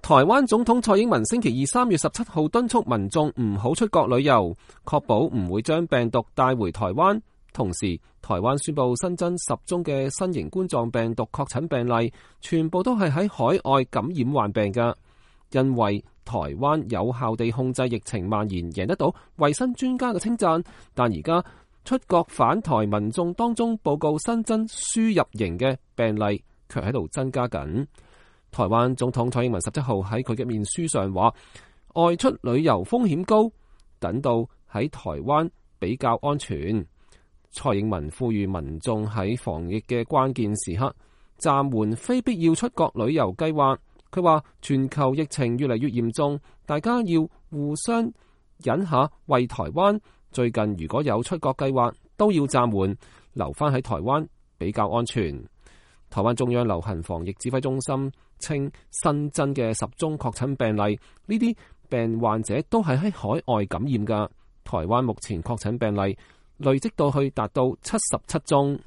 台灣總統蔡英文星期二3月17號敦促民眾唔好出國旅遊，確保唔會將病毒帶回台灣。同時，台灣宣布新增10宗嘅新型冠狀病毒確診病例，全部都係喺海外感染患病嘅。因為台灣有效地控制疫情蔓延，贏得到衛生專家嘅稱讚，但而家出國返台民眾當中報告新增輸入型嘅病例，卻喺度增加緊。台灣總統蔡英文17號喺佢嘅面書上話，外出旅遊風險高，等到喺台灣比較安全。蔡英文呼籲民眾喺防疫嘅關鍵時刻暫緩非必要出國旅遊計劃。佢話全球疫情越嚟越嚴重，大家要互相忍下為台灣。最近如果有出國計劃，都要暫緩，留返喺台灣比較安全。台灣中央流行防疫指揮中心稱，新增嘅10宗確診病例，呢啲病患者都係喺海外感染㗎。台灣目前確診病例累積到去達到77宗。